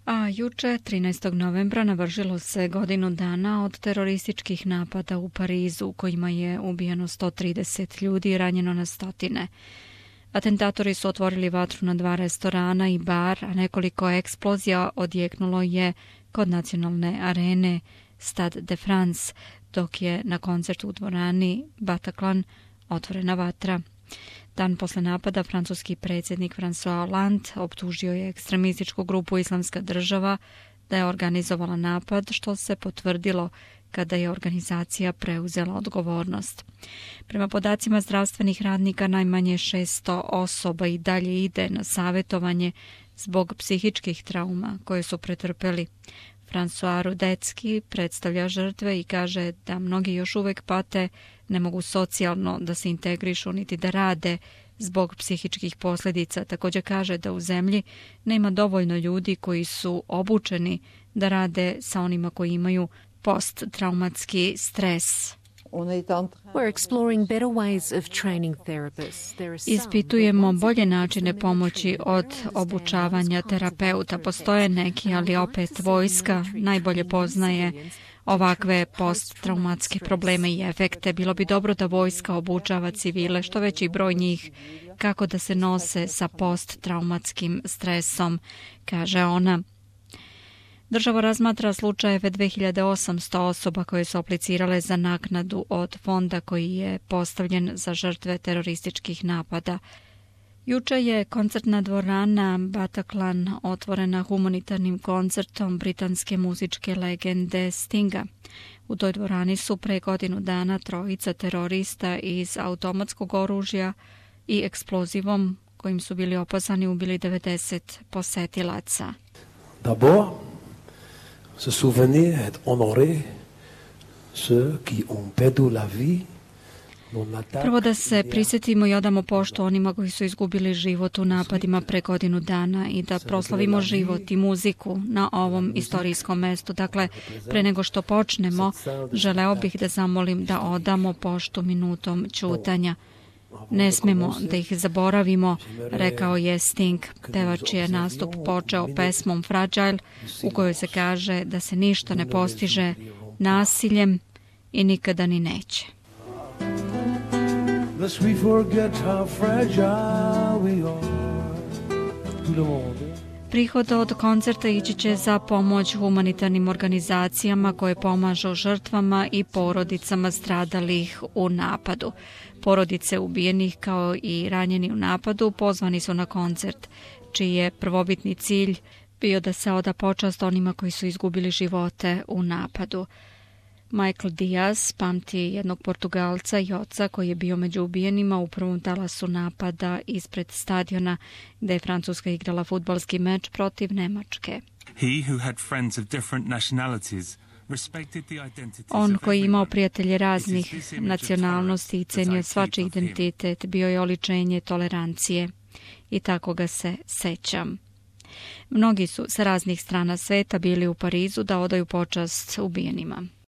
A juče, 13. novembra, navršilo se godinu dana od terorističkih napada u Parizu, u kojima je ubijeno 130 ljudi i ranjeno na stotine. Atentatori su otvorili vatru na 2 restorana i bar, a nekoliko eksplozija odjeknulo je kod nacionalne arene Stade de France, dok je na koncertu u dvorani Bataclan otvorena vatra. Dan posle napada francuski predsjednik François Hollande optužio je ekstremističku grupu Islamska država da je organizovala napad, što se potvrdilo kada je organizacija preuzela odgovornost. Prema podacima zdravstvenih radnika, najmanje 600 osoba i dalje ide na savjetovanje zbog psihičkih trauma koje su pretrpeli. François Rudecki predstavlja žrtve i kaže da mnogi još uvek pate, ne mogu socijalno da se integrišu niti da rade zbog psihičkih posljedica. Također kaže da u zemlji nema dovoljno ljudi koji su obučeni da rade sa onima koji imaju posttraumatski stres. Ispitujemo bolje načine pomoći od obučavanja terapeuta. Postoje neki, ali opet vojska najbolje poznaje ovakve posttraumatske probleme i efekte. Bilo bi dobro da vojska obučava civile, što veći broj njih, kako da se nose sa posttraumatskim stresom, kaže ona. Država razmatra slučajeve 2800 osoba koje su aplicirale za naknadu od fonda koji je postavljen za žrtve terorističkih napada. Juče je koncertna dvorana Bataclan otvorena humanitarnim koncertom britanske muzičke legende Stinga. U toj dvorani su pre godinu dana 3 terorista iz automatskog oružja i eksplozivom kojim su bili opasani ubili 90 posetilaca. D'abord, se souvenir et honorer ceux qui ont perdu la vie. Prvo da se prisjetimo i odamo poštu onima koji su izgubili život u napadima pre godinu dana i da proslavimo život i muziku na ovom istorijskom mestu. Dakle, pre nego što počnemo, želeo bih da zamolim da odamo poštu minutom ćutanja. Ne smemo da ih zaboravimo, rekao je Sting. Pevač je nastup počeo pesmom Fragile, u kojoj se kaže da se ništa ne postiže nasiljem i nikada ni neće. Lest we forget how fragile we are. Prihod od koncerta ići će za pomoć humanitarnim organizacijama koje pomažu žrtvama i porodicama stradalih u napadu. Porodice ubijenih kao i ranjeni u napadu pozvani su na koncert, čiji je prvobitni cilj bio da se oda počast onima koji su izgubili živote u napadu. Michael Diaz pamti jednog Portugalca i oca koji je bio među ubijenima u prvom talasu napada ispred stadiona gde je Francuska igrala fudbalski meč protiv Nemačke. On koji je imao prijatelje raznih nacionalnosti i cenio svačiji identitet, bio je oličenje tolerancije i tako ga se sećam. Mnogi su sa raznih strana sveta bili u Parizu da odaju počast ubijenima.